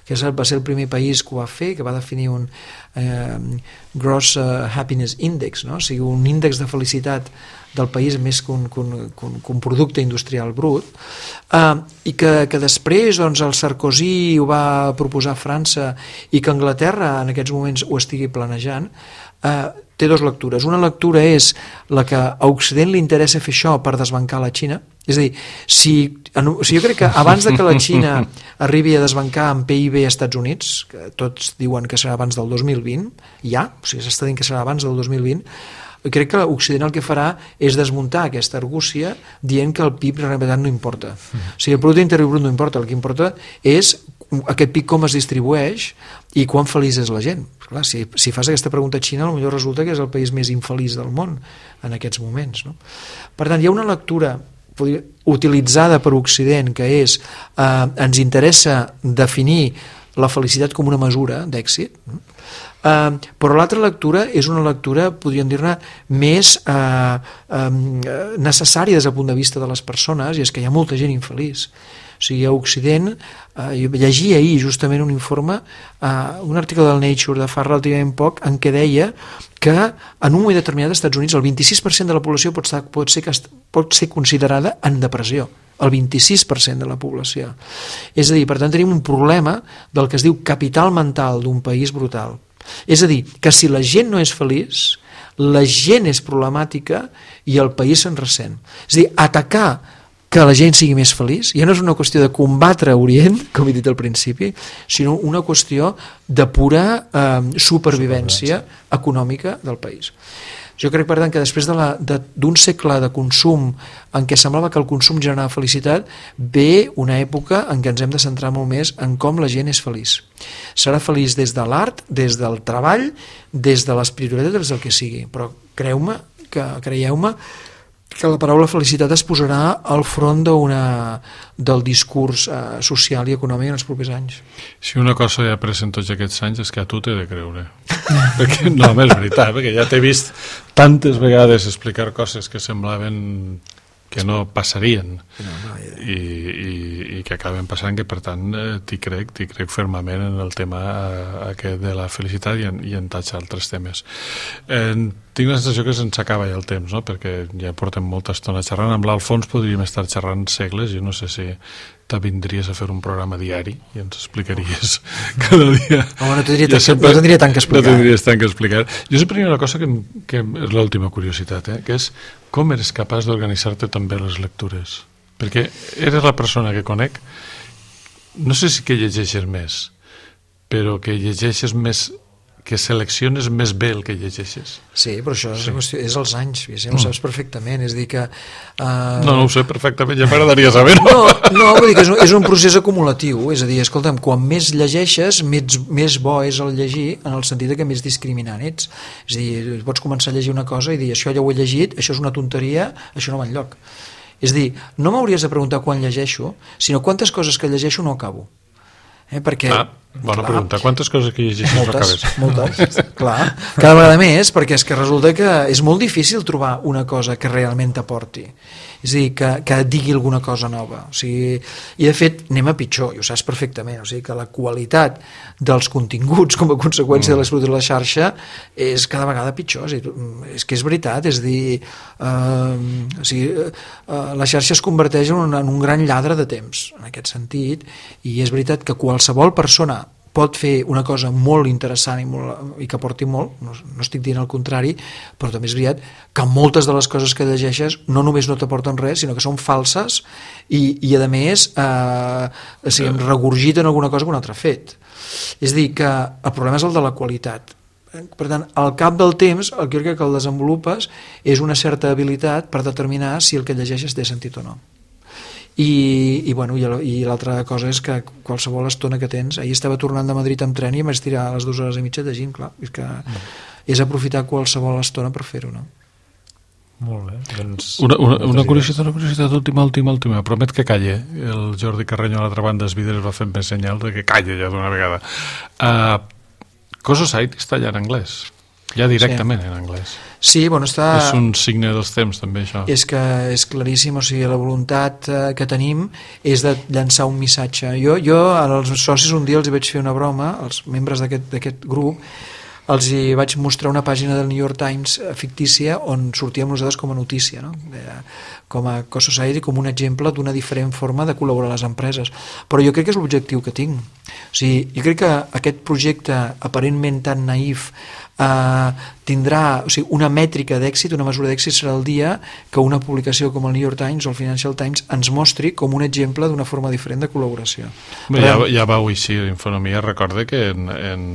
que és, va ser el primer país que ho va fer, que va definir un eh, Gross Happiness Index, no? O sigui, un índex de felicitat del país més que un, que un, que un, que un producte industrial brut, eh, i que, que després doncs, el Sarkozy ho va proposar a França i que Anglaterra en aquests moments ho estigui planejant. Eh, té dues lectures. Una lectura és la que a Occident li interessa fer això per desbancar la Xina. És a dir, si, si jo crec que abans de que la Xina arribi a desbancar en P I B a Estats Units, que tots diuen que serà abans del dos mil vint, ja, o sigui, s'està dient que serà abans del dos mil vint, crec que l'Occident el que farà és desmuntar aquesta argúcia dient que el P I B en realitat no importa. O sigui, el producte interior brut no importa, el que importa és aquest P I B com es distribueix i quan feliç és la gent. Clar, si, si fas aquesta pregunta a Xina, potser resulta que és el país més infeliç del món en aquests moments. No? Per tant, hi ha una lectura utilitzada per Occident que és eh, ens interessa definir la felicitat com una mesura d'èxit, no? Uh, però l'altra lectura és una lectura, podríem dir-ne, més uh, um, necessària des del punt de vista de les persones, i és que hi ha molta gent infeliç. O sigui, a Occident, uh, jo llegia ahir justament un informe, uh, un article del Nature de fa relativament poc, en què deia que en un moment determinat als Estats Units el vint-i-sis per cent de la població pot, estar, pot, ser, pot ser considerada en depressió. El vint-i-sis per cent de la població. És a dir, per tant, tenim un problema del que es diu capital mental d'un país brutal. És a dir, que si la gent no és feliç, la gent és problemàtica i el país se'n ressent. És a dir, atacar que la gent sigui més feliç ja no és una qüestió de combatre Orient, com he dit al principi, sinó una qüestió de pura eh, supervivència econòmica del país. Jo crec, per tant, que després d'un de de, segle de consum en què semblava que el consum generava felicitat, ve una època en què ens hem de centrar molt més en com la gent és feliç. Serà feliç des de l'art, des del treball, des de l'espiritualitat, des del que sigui. Però creu-me, que creieu-me, que la paraula felicitat es posarà al front d'una, del discurs eh, social i econòmic en els propers anys. Si una cosa he après en tots aquests anys és que a tu t'he de creure. Perquè, no, és veritat, perquè ja t'he vist tantes vegades explicar coses que semblaven que no passarien no, no, ja. I, i, i que acaben passant, que per tant t'hi crec, t'hi crec fermament en el tema aquest de la felicitat i en, i en tants altres temes. Eh, tinc la sensació que se'ns acaba ja el temps, no? Perquè ja portem molta estona xerrant. Amb l'Alfons podríem estar xerrant segles, jo no sé si t'avindries a fer un programa diari i ens explicaries cada dia. Home, no tindria, ja sempre, no tindria tant que explicar. No tindries tant que explicar. Jo sempre hi ha una cosa que, que és l'última curiositat, eh? Que és com eres capaç d'organitzar-te tan bé les lectures. Perquè eres la persona que conec, no sé si que llegeixes més, però que llegeixes més, que selecciones més bé el que llegeixes. Sí, però això és, sí. qüestió, és els anys, ja ho saps perfectament, és dir que... Uh... No, no ho sé perfectament, ja m'agradaria saber-ho. No, no, vull dir que és un, és un procés acumulatiu, és a dir, escolta'm, quan més llegeixes, més, més bo és el llegir, en el sentit que més discriminant ets. És a dir, pots començar a llegir una cosa i dir, això ja ho he llegit, això és una tonteria, això no va enlloc. És a dir, no m'hauries de preguntar quan llegeixo, sinó quantes coses que llegeixo no acabo. Eh, perquè, ah, bona clar, pregunta. Quantes coses que llegeixes no acabes? Moltes, clar. Cada vegada més, perquè és que resulta que és molt difícil trobar una cosa que realment t'aporti. És a dir, que, que et digui alguna cosa nova. O sigui, i de fet, anem a pitjor, i ho saps perfectament. O sigui, que la qualitat dels continguts com a conseqüència mm. de l'explotació de la xarxa és cada vegada pitjor. És, dir, és que és veritat, és dir, eh, o sigui, eh, la xarxa es converteix en un, en un gran lladre de temps, en aquest sentit, i és veritat que qualsevol persona pot fer una cosa molt interessant i, molt, i que aporti molt, no, no estic dient el contrari, però també és veritat que moltes de les coses que llegeixes no només no t'aporten res, sinó que són falses i, i a més eh, o sigui, regurgiten alguna cosa que un altre ha fet. És a dir, que el problema és el de la qualitat. Per tant, al cap del temps, el que crec que el desenvolupes és una certa habilitat per determinar si el que llegeixes té sentit o no. I, i, bueno, i l'altra cosa és que qualsevol estona que tens, ahir estava tornant de Madrid amb tren i em vaig tirar a les dues hores i mitja llegint, clar, és que mm. és aprofitar qualsevol estona per fer-ho, no? Molt bé, doncs... Una, una, una curiositat, una curiositat última, última, última, promet que calle. El Jordi Carreño a l'altra banda dels vidres va fer més senyal de que calle ja d'una vegada. Uh, Cososite està allà en anglès, ja directament sí. en anglès. Sí, bueno, està... És un signe dels temps, també, això. És que és claríssim, o sigui, la voluntat eh, que tenim és de llançar un missatge. Jo, jo als socis un dia els hi vaig fer una broma, als membres d'aquest grup, els hi vaig mostrar una pàgina del New York Times fictícia on sortíem nosaltres com a notícia, no? Com a Cososite, com un exemple d'una diferent forma de col·laborar a les empreses. Però jo crec que és l'objectiu que tinc. O sigui, jo crec que aquest projecte aparentment tan naïf eh, tindrà, o sigui, una mètrica d'èxit, una mesura d'èxit serà el dia que una publicació com el New York Times o el Financial Times ens mostri com un exemple d'una forma diferent de col·laboració. Bé, ja, ja vau així, Infonomia recorda que en, en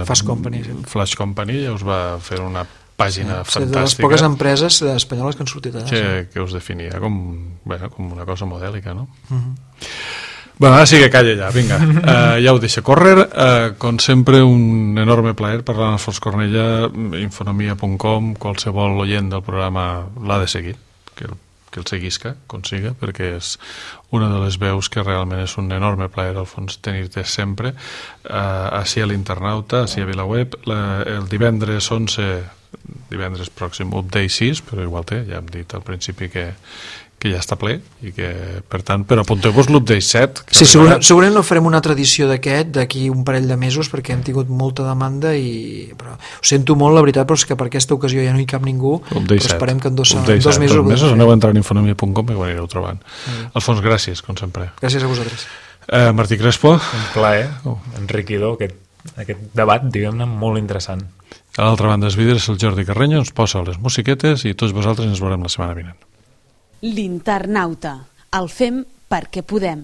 Fast Company, sí. Flash Company ja us va fer una pàgina sí, fantàstica. De les poques empreses espanyoles que han sortit allà. Que, sí. que us definia com, bueno, com una cosa modèlica, no? Uh-huh. Bueno, ara sí que calla ja, vinga, uh, ja ho deixa córrer, uh, com sempre un enorme plaer parlar amb Alfons Cornellà, infonomia punt com, qualsevol oient del programa l'ha de seguir, que el, que el seguisca, consiga, perquè és una de les veus que realment és un enorme plaer, Alfons, tenir-te sempre, uh, així a l'Internauta, així a VilaWeb, la, el divendres onze, divendres pròxim, update sis, però igual té, ja hem dit al principi que que ja està ple i que, per tant, però apunteu-vos l'update set. Sí, segurament, segurament no farem una altra edició d'aquest d'aquí un parell de mesos perquè hem tingut molta demanda i però, ho sento molt, la veritat, però és que per aquesta ocasió ja no hi cap ningú, update però set. Esperem que en dos, update dos mesos... Dos mesos aneu a entrar en infonomia punt com i ho anireu trobant. Mm. Alfons, gràcies, com sempre. Gràcies a vosaltres. Eh, Martí Crespo. Un plaer, oh. enriquidor, aquest, aquest debat, diguem-ne, molt interessant. A l'altra banda dels vidres, el Jordi Carreño ens posa les musiquetes i tots vosaltres ens veurem la setmana vinent. L'Internauta. El fem perquè podem.